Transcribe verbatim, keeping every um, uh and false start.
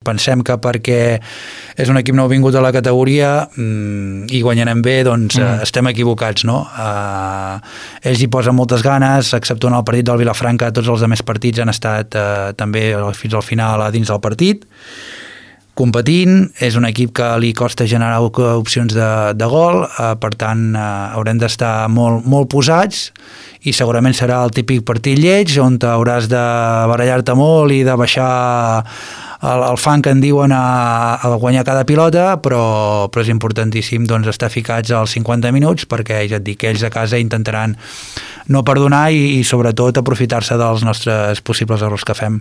Pensem que perquè és un equip nou vingut a la categoria mmm, i guanyarem bé, doncs mm. eh, estem equivocats, no? Eh, ells hi posen moltes ganes, exceptuant el partit del Vilafranca, tots els altres partits han estat eh, també fins al final a dins del partit, competint. És un equip que li costa generar opcions de, de gol, eh, per tant eh, haurem d'estar molt, molt posats i segurament serà el típic partit lleig on hauràs de barallar-te molt i de baixar el, el fang que en diuen a, a guanyar cada pilota, però, però és importantíssim doncs, estar ficats als cinquanta minuts perquè ja et dic que ells a casa intentaran no perdonar i, i sobretot aprofitar-se dels nostres possibles errors que fem.